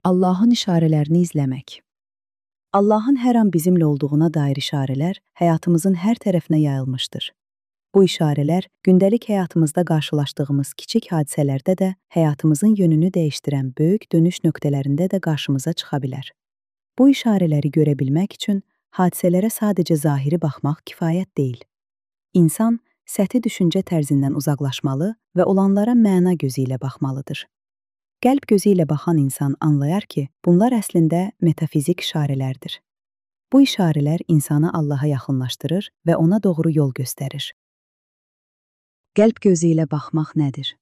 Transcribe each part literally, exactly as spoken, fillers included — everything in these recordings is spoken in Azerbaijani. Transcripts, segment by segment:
Allahın işarələrini izləmək. Allahın hər an bizimlə olduğuna dair işarələr həyatımızın hər tərəfinə yayılmışdır. Bu işarələr gündəlik həyatımızda qarşılaşdığımız kiçik hadisələrdə də həyatımızın yönünü dəyişdirən böyük dönüş nöqtələrində də qarşımıza çıxa bilər. Bu işarələri görə bilmək üçün hadisələrə sadəcə zahiri baxmaq kifayət deyil. İnsan səthi düşüncə tərzindən uzaqlaşmalı və olanlara məna gözü ilə baxmalıdır. Qəlb gözü ilə baxan insan anlayar ki, bunlar əslində metafizik işarələrdir. Bu işarələr insanı Allaha yaxınlaşdırır və ona doğru yol göstərir. Qəlb gözü ilə baxmaq nədir?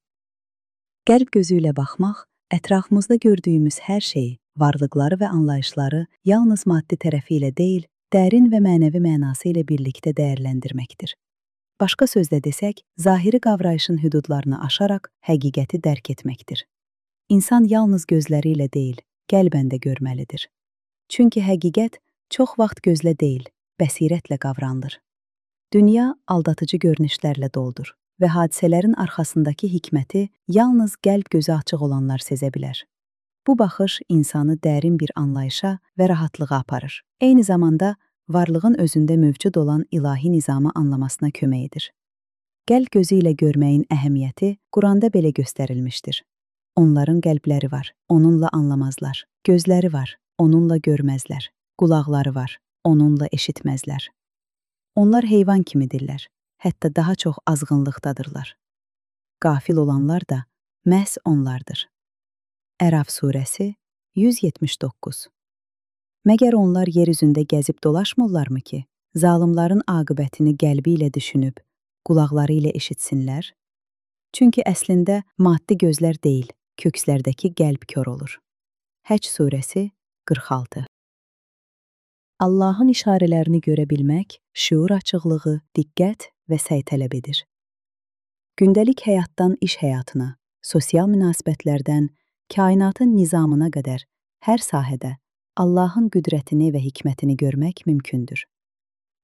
Qəlb gözü ilə baxmaq, ətrafımızda gördüyümüz hər şeyi, varlıqları və anlayışları yalnız maddi tərəfi ilə deyil, dərin və mənəvi mənası ilə birlikdə dəyərləndirməkdir. Başqa sözlə desək, zahiri qavrayışın hüdudlarını aşaraq həqiqəti dərk etməkdir. İnsan yalnız gözləri ilə deyil, qəlbən də görməlidir. Çünki həqiqət çox vaxt gözlə deyil, bəsirətlə qavranılır. Dünya aldatıcı görünüşlərlə doldur və hadisələrin arxasındakı hikməti yalnız qəlb gözü açıq olanlar sezə bilər. Bu baxış insanı dərin bir anlayışa və rahatlığa aparır. Eyni zamanda varlığın özündə mövcud olan ilahi nizamı anlamasına kömək edir. Qəlb gözü ilə görməyin əhəmiyyəti Quranda belə göstərilmişdir. Onların qəlbləri var, onunla anlamazlar. Gözləri var, onunla görməzlər. Qulaqları var, onunla eşitməzlər. Onlar heyvan kimidirlər, hətta daha çox azğınlıqdadırlar. Qafil olanlar da məhz onlardır. Əraf surəsi yüz yetmiş doqquz. Məgər onlar yer üzündə gəzib dolaşmırlarmı ki, zalımların aqibətini qəlbi ilə düşünüb, qulaqları ilə eşitsinlər? Çünki əslində maddi gözlər deyil, kökslərdəki qəlb kör olur. Həc surəsi qırx altı. Allahın işarələrini görə bilmək, şüur açıqlığı, diqqət və səy tələb edir. Gündəlik həyatdan iş həyatına, sosial münasibətlərdən, kainatın nizamına qədər hər sahədə Allahın qüdrətini və hikmətini görmək mümkündür.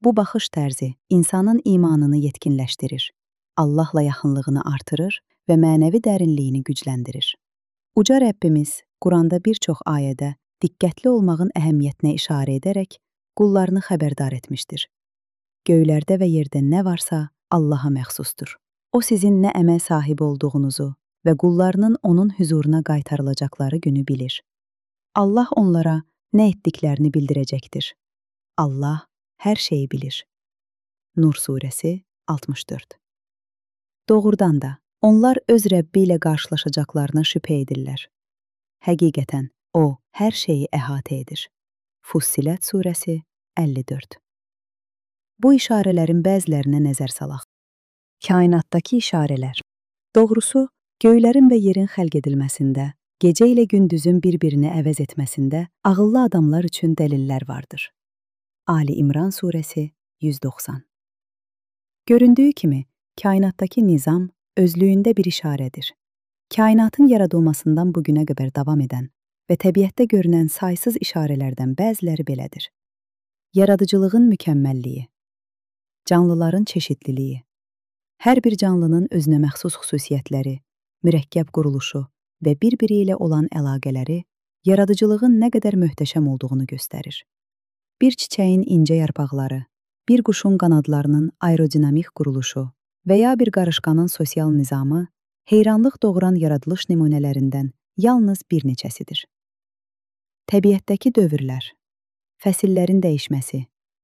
Bu baxış tərzi insanın imanını yetkinləşdirir, Allahla yaxınlığını artırır və mənəvi dərinliyini gücləndirir. Uca Rəbbimiz Quranda bir çox ayədə diqqətli olmağın əhəmiyyətinə işarə edərək qullarını xəbərdar etmişdir. Göylərdə və yerdə nə varsa Allaha məxsusdur. O sizin nə əməl sahibi olduğunuzu və qullarının onun hüzuruna qaytarılacaqları günü bilir. Allah onlara nə etdiklərini bildirəcəkdir. Allah hər şeyi bilir. Nur surəsi altmış dörd. Doğrudan da, onlar öz Rəbbi ilə qarşılaşacaqlarına şübhə edirlər. Həqiqətən, O, hər şeyi əhatə edir. Fussilət surəsi əlli dörd. Bu işarələrin bəzilərinə nəzər salaq. Kainatdakı işarələr. Doğrusu, göylərin və yerin xəlq edilməsində, gecə ilə gündüzün bir-birini əvəz etməsində ağıllı adamlar üçün dəlillər vardır. Ali İmran surəsi yüz doxsan. Göründüyü kimi, kainatdakı nizam özlüyündə bir işarədir. Kainatın yaradılmasından bugünə qədər davam edən və təbiətdə görünən saysız işarələrdən bəziləri belədir. Yaradıcılığın mükəmməlliyi, canlıların çeşidliliyi, hər bir canlının özünə məxsus xüsusiyyətləri, mürəkkəb quruluşu və bir-biri ilə olan əlaqələri yaradıcılığın nə qədər möhtəşəm olduğunu göstərir. Bir çiçəyin incə yarpaqları, bir quşun qanadlarının aerodinamik quruluşu və ya bir qarışqanın sosial nizamı heyranlıq doğuran yaradılış nümunələrindən yalnız bir neçəsidir. Təbiətdəki dövrlər, fəsillərin dəyişməsi,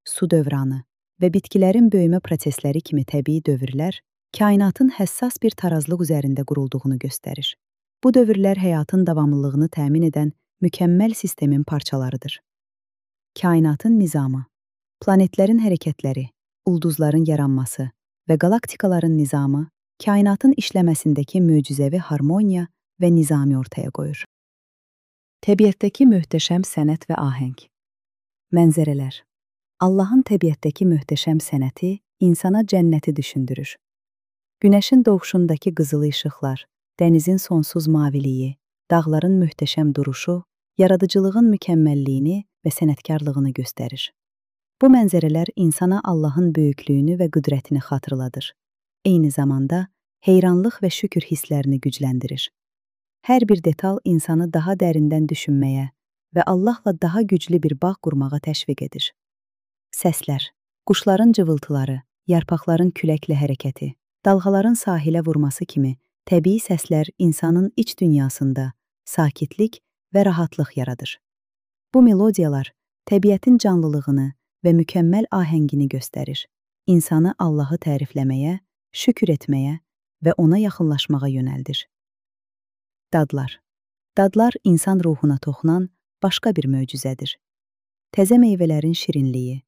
su dövranı və bitkilərin böyümə prosesləri kimi təbii dövrlər kainatın həssas bir tarazlıq üzərində qurulduğunu göstərir. Bu dövrlər həyatın davamlılığını təmin edən mükəmməl sistemin parçalarıdır. Kainatın nizamı, planetlərin hərəkətləri, ulduzların yaranması və qalaktikaların nizamı kainatın işləməsindəki möcüzəvi harmoniya və nizami ortaya qoyur. Təbiətdəki möhtəşəm sənət və ahəng. Mənzərələr. Allahın təbiətdəki möhtəşəm sənəti insana cənnəti düşündürür. Günəşin doğuşundakı qızılı işıqlar, dənizin sonsuz maviliyi, dağların möhtəşəm duruşu, yaradıcılığın mükəmməlliyini və sənətkarlığını göstərir. Bu mənzərələr insana Allahın böyüklüyünü və qüdrətini xatırladır. Eyni zamanda heyranlıq və şükür hisslərini gücləndirir. Hər bir detal insanı daha dərindən düşünməyə və Allahla daha güclü bir bağ qurmağa təşviq edir. Səslər, quşların cıvıltıları, yarpaqların küləklə hərəkəti, dalğaların sahilə vurması kimi təbii səslər insanın iç dünyasında sakitlik və rahatlıq yaradır. Bu melodiyalar təbiətin canlılığını və mükəmməl ahəngini göstərir. İnsanı Allahı tərifləməyə, şükür etməyə və ona yaxınlaşmağa yönəldir. Dadlar. Dadlar insan ruhuna toxunan başqa bir möcüzədir. Təzə meyvələrin şirinliyi,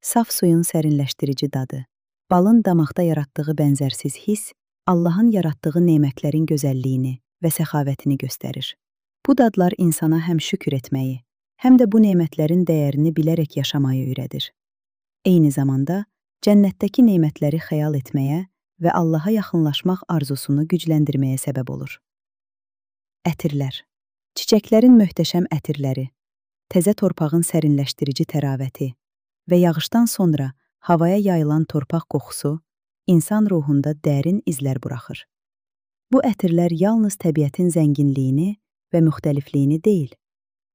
saf suyun sərinləşdirici dadı, balın damaqda yaratdığı bənzərsiz hiss, Allahın yaratdığı nemətlərin gözəlliyini və səxavətini göstərir. Bu dadlar insana həm şükür etməyi, həm də bu nemətlərin dəyərini bilərək yaşamayı öyrədir. Eyni zamanda, cənnətdəki nemətləri xəyal etməyə və Allaha yaxınlaşmaq arzusunu gücləndirməyə səbəb olur. Ətirlər. Çiçəklərin möhtəşəm ətirləri, təzə torpağın sərinləşdirici təravəti və yağışdan sonra havaya yayılan torpaq qoxusu insan ruhunda dərin izlər buraxır. Bu ətirlər yalnız təbiətin zənginliyini və müxtəlifliyini deyil,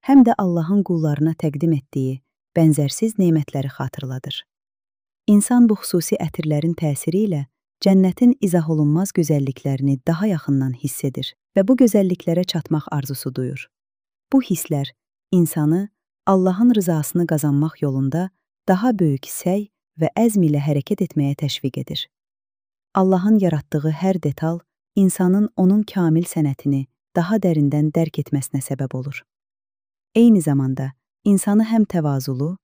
həm də Allahın qullarına təqdim etdiyi bənzərsiz nemətləri xatırladır. İnsan bu xüsusi ətirlərin təsiri ilə cənnətin izah olunmaz gözəlliklərini daha yaxından hiss edir və bu gözəlliklərə çatmaq arzusu duyur. Bu hisslər insanı Allahın rızasını qazanmaq yolunda daha böyük səy və əzm ilə hərəkət etməyə təşviq edir. Allahın yaratdığı hər detal insanın onun kamil sənətini daha dərindən dərk etməsinə səbəb olur. Eyni zamanda insanı həm təvazulu,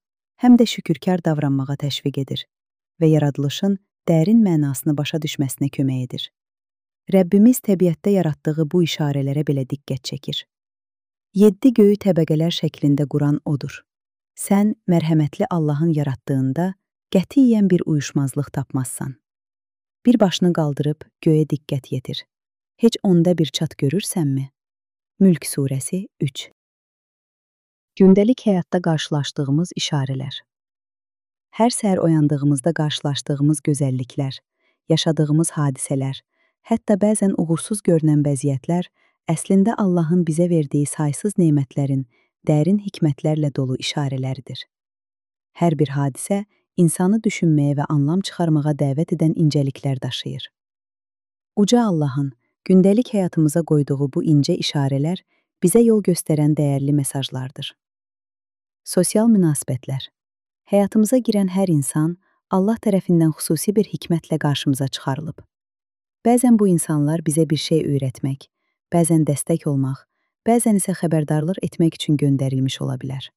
həm də şükürkar davranmağa təşviq edir və yaradılışın dərin mənasını başa düşməsinə kömək edir. Rəbbimiz təbiətdə yaratdığı bu işarələrə belə diqqət çəkir. Yeddi göyü təbəqələr şəklində quran odur. Sən mərhəmətli Allahın yaratdığında qətiyyən bir uyuşmazlıq tapmazsan. Bir başını qaldırıb göyə diqqət yetir. Heç onda bir çat görürsənmi? Mülk surəsi üç. Gündəlik həyatda qarşılaşdığımız işarələr. Hər səhər oyandığımızda qarşılaşdığımız gözəlliklər, yaşadığımız hadisələr, hətta bəzən uğursuz görünən vəziyyətlər əslində Allahın bizə verdiyi saysız nemətlərin dərin hikmətlərlə dolu işarələridir. Hər bir hadisə insanı düşünməyə və anlam çıxarmağa dəvət edən incəliklər daşıyır. Uca Allahın gündəlik həyatımıza qoyduğu bu incə işarələr bizə yol göstərən dəyərli mesajlardır. Sosial münasibətlər. Həyatımıza girən hər insan Allah tərəfindən xüsusi bir hikmətlə qarşımıza çıxarılıb. Bəzən bu insanlar bizə bir şey öyrətmək, bəzən dəstək olmaq, bəzən isə xəbərdarlıq etmək üçün göndərilmiş ola bilər.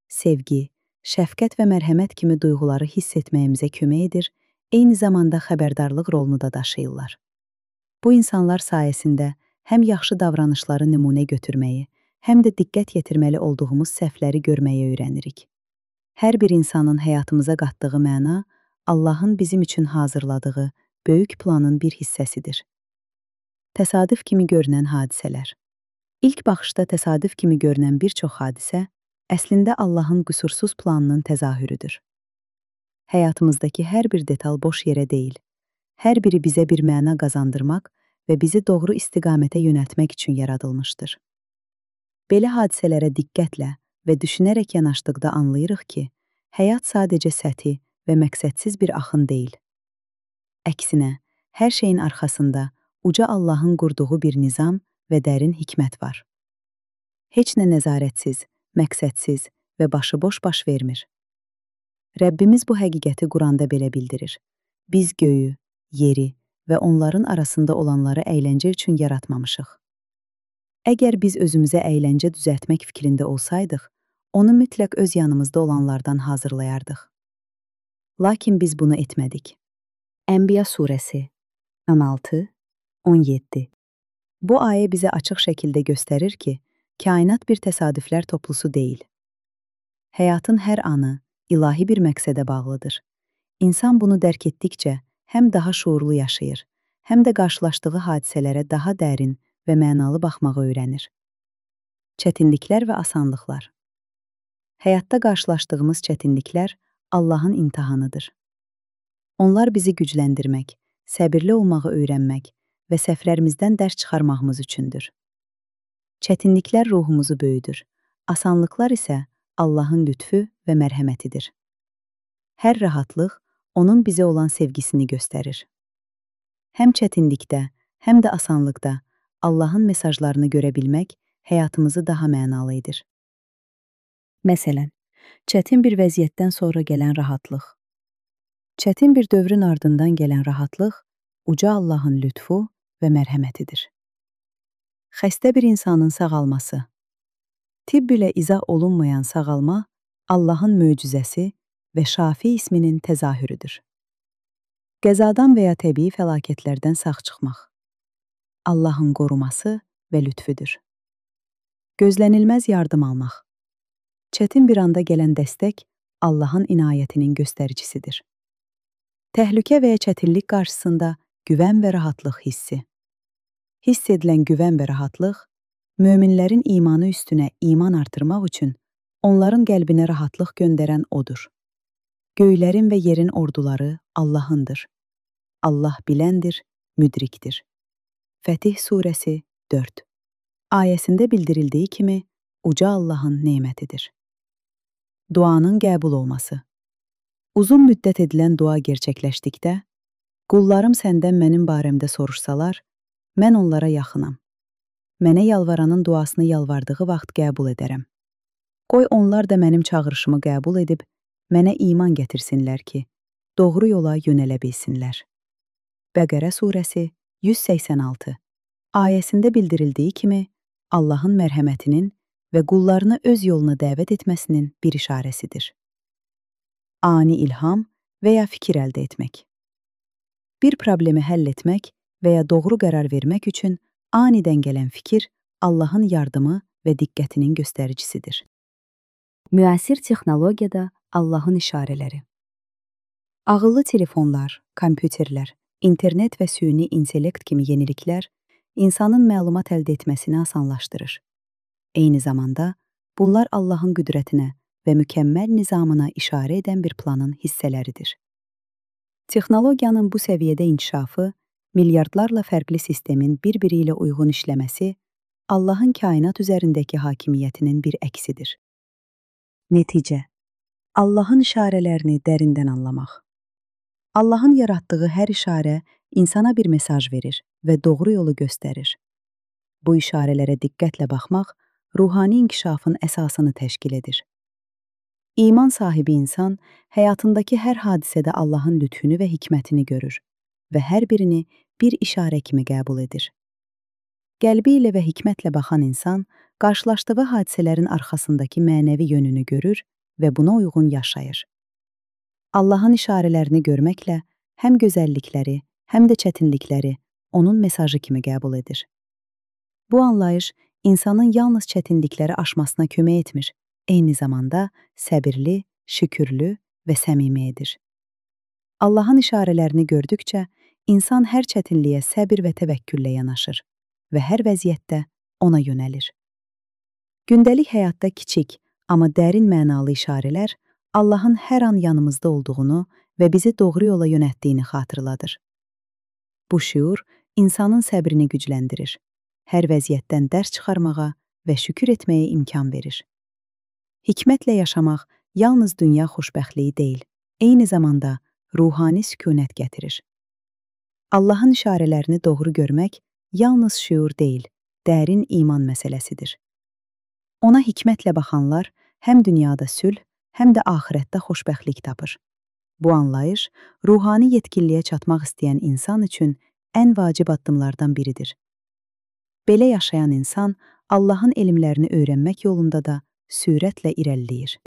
Sevgi, şəfqət və mərhəmət kimi duyğuları hiss etməyimizə kömək edir, eyni zamanda xəbərdarlıq rolunu da daşıyırlar. Bu insanlar sayəsində həm yaxşı davranışları nümunə götürməyi, həm də diqqət yetirməli olduğumuz səhvləri görməyi öyrənirik. Hər bir insanın həyatımıza qatdığı məna Allahın bizim üçün hazırladığı böyük planın bir hissəsidir. Təsadüf kimi görünən hadisələr. İlk baxışda təsadüf kimi görünən bir çox hadisə əslində Allahın qüsursuz planının təzahürüdür. Həyatımızdakı hər bir detal boş yerə deyil. Hər biri bizə bir məna qazandırmaq və bizi doğru istiqamətə yönəltmək üçün yaradılmışdır. Belə hadisələrə diqqətlə və düşünərək yanaşdıqda anlayırıq ki, həyat sadəcə səthi və məqsədsiz bir axın deyil. Əksinə, hər şeyin arxasında uca Allahın qurduğu bir nizam və dərin hikmət var. Heç nə nəzarətsiz, məqsədsiz və başıboş baş vermir. Rəbbimiz bu həqiqəti Quranda belə bildirir. Biz göyü, yeri və onların arasında olanları əyləncə üçün yaratmamışıq. Əgər biz özümüzə əyləncə düzəltmək fikrində olsaydıq, onu mütləq öz yanımızda olanlardan hazırlayardıq. Lakin biz bunu etmədik. Ənbiya surəsi on altı on yeddi. Bu ayə bizə açıq şəkildə göstərir ki, kainat bir təsadüflər toplusu deyil. Həyatın hər anı ilahi bir məqsədə bağlıdır. İnsan bunu dərk etdikcə həm daha şuurlu yaşayır, həm də qarşılaşdığı hadisələrə daha dərin və mənalı baxmağı öyrənir. Çətinliklər və asanlıqlar. Həyatda qarşılaşdığımız çətinliklər Allahın imtahanıdır. Onlar bizi gücləndirmək, səbirli olmağı öyrənmək və səhvlərimizdən dərs çıxarmağımız üçündür. Çətinliklər ruhumuzu böyüdür. Asanlıqlar isə Allahın lütfü və mərhəmətidir. Hər rahatlıq onun bizə olan sevgisini göstərir. Həm çətinlikdə, həm də asanlıqda Allahın mesajlarını görə bilmək həyatımızı daha mənalı edir. Məsələn, çətin bir vəziyyətdən sonra gələn rahatlıq. Çətin bir dövrün ardından gələn rahatlıq uca Allahın lütfu və mərhəmətidir. Xəstə bir insanın sağalması. Tibb ilə izah olunmayan sağalma Allahın möcüzəsi və Şafi isminin təzahürüdür. Qəzadan və ya təbii fəlakətlərdən sağ çıxmaq. Allahın qoruması və lütfüdür. Gözlənilməz yardım almaq. Çətin bir anda gələn dəstək Allahın inayətinin göstəricisidir. Təhlükə və ya çətinlik qarşısında güvən və rahatlıq hissi. Hiss edilən güvən və rahatlıq, möminlərin imanı üstünə iman artırmaq üçün onların qəlbinə rahatlıq göndərən odur. Göylərin və yerin orduları Allahındır. Allah biləndir, müdrikdir. Fətih surəsi dörd. Ayəsində bildirildiyi kimi, uca Allahın nemətidir. Duanın qəbul olması. Uzun müddət edilən dua gerçəkləşdikdə, qullarım səndən mənim barəmdə soruşsalar, mən onlara yaxınam. Mənə yalvaranın duasını yalvardığı vaxt qəbul edərəm. Qoy onlar da mənim çağırışımı qəbul edib, mənə iman gətirsinlər ki, doğru yola yönələ bilsinlər. Bəqərə surəsi yüz səksən altı. Ayəsində bildirildiyi kimi, Allahın mərhəmətinin və qullarını öz yoluna dəvət etməsinin bir işarəsidir. Ani ilham və ya fikir əldə etmək. Bir problemi həll etmək və ya doğru qərar vermək üçün anidən gələn fikir Allahın yardımı və diqqətinin göstəricisidir. Müasir texnologiyada Allahın işarələri. Ağıllı telefonlar, kompüterlər, internet və süni intellekt kimi yeniliklər insanın məlumat əldə etməsini asanlaşdırır. Eyni zamanda, bunlar Allahın qüdrətinə və mükəmməl nizamına işarə edən bir planın hissələridir. Texnologiyanın bu səviyyədə inkişafı, milyardlarla fərqli sistemin bir-biri ilə uyğun işləməsi, Allahın kainat üzərindəki hakimiyyətinin bir əksidir. Nəticə, Allahın işarələrini dərindən anlamaq. Allahın yaratdığı hər işarə insana bir mesaj verir və doğru yolu göstərir. Bu işarələrə diqqətlə baxmaq, ruhani inkişafın əsasını təşkil edir. İman sahibi insan, həyatındakı hər hadisədə Allahın lütfünü və hikmətini görür və hər birini bir işarə kimi qəbul edir. Qəlbi ilə və hikmətlə baxan insan, qarşılaşdığı hadisələrin arxasındakı mənəvi yönünü görür və buna uyğun yaşayır. Allahın işarələrini görməklə həm gözəllikləri, həm də çətinlikləri onun mesajı kimi qəbul edir. Bu anlayış insanın yalnız çətinlikləri aşmasına kömək etmir, eyni zamanda səbirli, şükürlü və səmimi edir. Allahın işarələrini gördükcə, insan hər çətinliyə səbir və təvəkküllə yanaşır və hər vəziyyətdə ona yönəlir. Gündəlik həyatda kiçik, amma dərin mənalı işarələr Allahın hər an yanımızda olduğunu və bizi doğru yola yönətdiyini xatırladır. Bu şüur insanın səbrini gücləndirir, hər vəziyyətdən dərs çıxarmağa və şükür etməyə imkan verir. Hikmətlə yaşamaq yalnız dünya xoşbəxtliyi deyil, eyni zamanda ruhani sükunət gətirir. Allahın işarələrini doğru görmək yalnız şüur deyil, dərin iman məsələsidir. Ona hikmətlə baxanlar həm dünyada sülh, həm də axirətdə xoşbəxtlik tapır. Bu anlayış, ruhani yetkinliyə çatmaq istəyən insan üçün ən vacib addımlardan biridir. Belə yaşayan insan, Allahın elmlərini öyrənmək yolunda da sürətlə irəliləyir.